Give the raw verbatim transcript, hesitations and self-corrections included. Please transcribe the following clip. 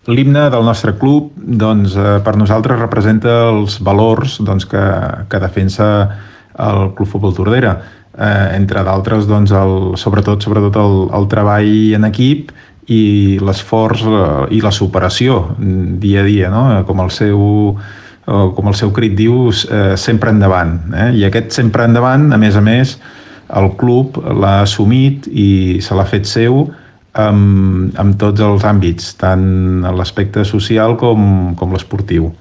L'himne del nostre club, doncs, eh, per nosaltres representa els valors doncs, que, que defensa el Club Futbol Tordera. Eh, entre d'altres, doncs, el, sobretot, sobretot el, el treball en equip i l'esforç eh, i la superació mm, dia a dia, no? Com el seu, eh, com el seu crit diu, eh, sempre endavant. Eh? I aquest sempre endavant, a més a més, el club l'ha assumit i se l'ha fet seu amb, amb tots els àmbits, tant en l'aspecte social com, com l'esportiu.